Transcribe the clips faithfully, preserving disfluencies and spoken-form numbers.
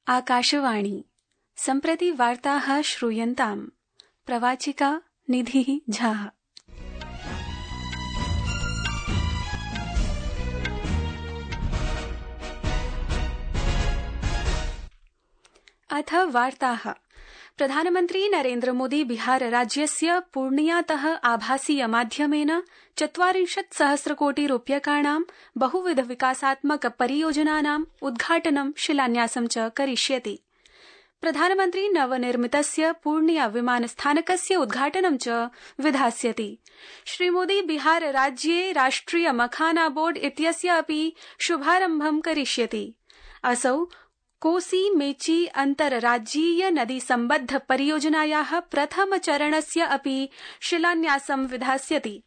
आकाशवाणी सम्प्रति वार्ताः श्रूयन्ताम्। प्रवाचिका निधिः झा। अथ वार्ताः। प्रधानमन्त्री नरेन्द्र मोदी बिहार राज्यस्य पूर्णियातः आभासीय माध्यमेन चत्वारिंशत् सहस्रकोटि रूप्यकाणां बहुविध विकासात्मक परियोजनानाम् उद्घाटनं शिलान्यासं च करिष्यति। प्रधानमन्त्री नवनिर्मितस्य पूर्णिया विमानस्थानकस्य उद्घाटनं च विधास्यति। श्रीमोदी बिहार राज्ये राष्ट्रिय मखाना बोर्ड इत्यस्य अपि शुभारम्भं करिष्यति। असौ कोसी मेची अन्तर्राज्यीय नदी सम्बद्ध परियोजनायाः प्रथम चरणस्य अपि शिलान्यासं विधास्यति।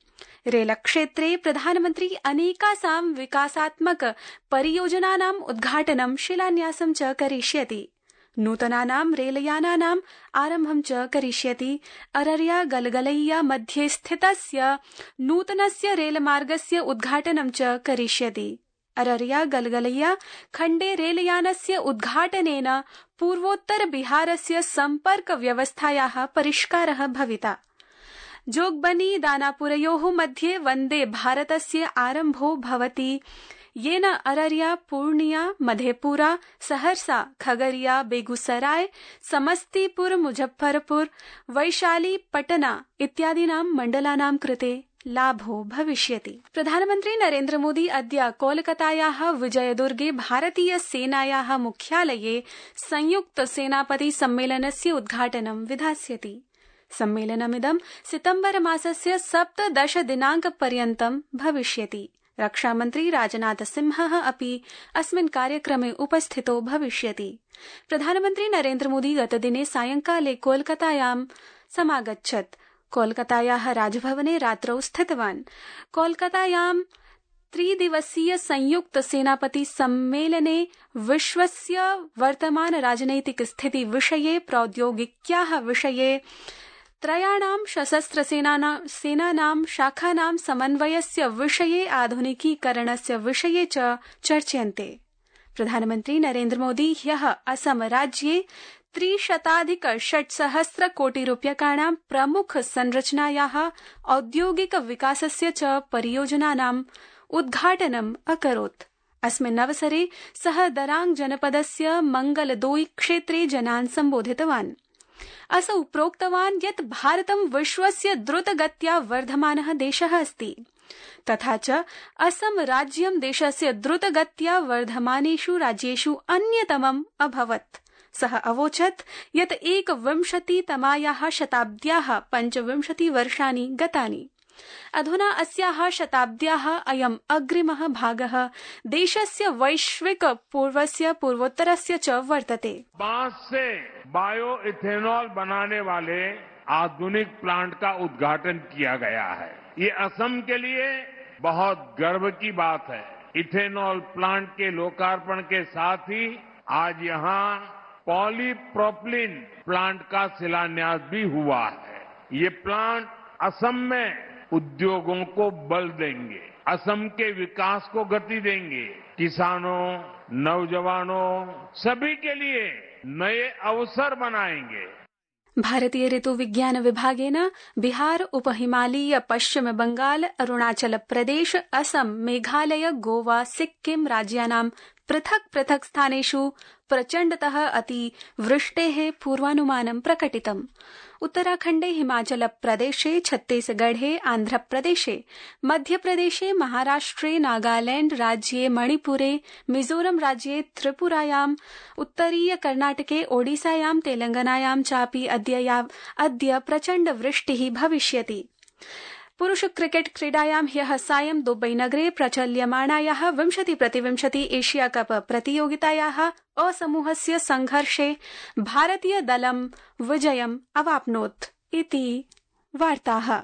रेलक्षेत्रे प्रधानमन्त्री अनेकासां विकासात्मक परियोजनानाम् उद्घाटनं शिलान्यासं च करिष्यति। नूतनानां रेलयानानाम् आरम्भं च करिष्यति। अररिया गलगलैया मध्ये स्थितस्य नूतनस्य रेलमार्गस्य उद्घाटनं च करिष्यति। अररिया गलगलैया खण्डे रेलयानस्य उद्घाटनेन पूर्वोत्तर बिहारस्य सम्पर्क व्यवस्थायाः परिष्कारः भविता। जोगबनी दानापुरयोः मध्ये वन्दे भारतस्य आरम्भो भवति, येन अररिया, पूर्णिया, मधेपुरा, सहरसा, खगरिया, बेगूसराय, समस्तीपुर, मुजफ्फरपुर, वैशाली, पटना इत्यादीनां मण्डलानां कृते लाभो भविष्यति। प्रधानमन्त्री नरेन्द्र मोदी अद्य कोलकातायाः विजयदुर्गे भारतीय सेनायाः मुख्यालये संयुक्त सेनापति सम्मेलनस्य उद्घाटनं विधास्यति। सम्मेलनमिदं सितम्बर मासस्य सप्तदश दिनाङ्कपर्यन्तं भविष्यति। रक्षामन्त्री राजनाथ सिंहः अपि अस्मिन् कार्यक्रमे उपस्थितो भविष्यति। प्रधानमन्त्री नरेन्द्र मोदी गतदिने सायंकाले कोलकातायां समागच्छत्। कोलकातायाः राजभवने रात्रौ स्थितवान्। कोलकातायां त्रिदिवसीय संयुक्त सेनापति सम्मेलने विश्वस्य वर्तमान राजनैतिक स्थिति विषये, प्रौद्योगिक्याः विषये, त्रयाणां सशस्त्र सेनानां शाखानां समन्वयस्य विषये, आधुनिकीकरणस्य विषये च चर्च्यन्ते। प्रधानमन्त्री नरेन्द्र मोदी ह्यः असम राज्ये त्रिशताधिक षट्सहस्र कोटि रूप्यकाणां प्रमुख संरचनायाः औद्योगिक विकासस्य च परियोजनानाम् उद्घाटनम् अकरोत्। अस्मिन् अवसरे सः दरांग जनपदस्य मंगलदोई क्षेत्रे जनान् सम्बोधितवान्। असौ प्रोक्तवान् यत् भारतं विश्वस्य द्रुतगत्या वर्धमानः देशः अस्ति, तथा च असम राज्यं देशस्य द्रुतगत्या वर्धमानेषु राज्येषु अन्यतमम् अभवत्। सः अवोचत् यत् एकविंशतितमायाः शताब्द्याः पञ्चविंशति वर्षाणि गतानि। अधुना अस्याः शताब्द्याः अयम् अग्रिमः भागः देशस्य वैश्विक पूर्वस्य पूर्वोत्तरस्य च वर्तते। बांस से बायो इथेनॉल बनाने वाले आधुनिक प्लांट का उद्घाटन किया गया है। ये असम के लिए बहुत गर्व की बात है। इथेनॉल प्लांट के लोकार्पण के साथ ही आज यहाँ पॉलीप्रोपिलीन प्लांट का शिलान्यास भी हुआ है। ये प्लांट असम में उद्योगों को बल देंगे, असम के विकास को गति देंगे, किसानों, नौजवानों सभी के लिए नए अवसर बनाएंगे। भारतीय ऋतु विज्ञान विभागेन बिहार, उपहिमालय, पश्चिम बंगाल, अरुणाचल प्रदेश, असम, मेघालय, गोवा, सिक्किम राज्यानां पृथक् पृथक् स्थानेषु प्रचण्डतः अतिवृष्टेः पूर्वानुमानं प्रकटितम्। उत्तराखण्डे, हिमाचल प्रदेशे, छत्तीसगढ़े, आन्ध्रप्रदेशे, मध्यप्रदेशे, महाराष्ट्रे, नागालैण्ड राज्ये, मणिपुरे, मिजोरम राज्ये, त्रिपुरायाम्, उत्तरीय कर्णाटके, ओडिसायां, तेलंगानायां चापि अद्य अद्य प्रचण्ड वृष्टिः भविष्यति। पुरुष क्रिकेट क्रीडायां ह्यः सायं दुबईनगरे प्रचल्यमाणायाः विंशति प्रतिविंशति एशिया कप प्रतियोगितायाः अ समूहस्य संघर्षे भारतीय दलं विजयम् अवाप्नोत् इति वार्ताः।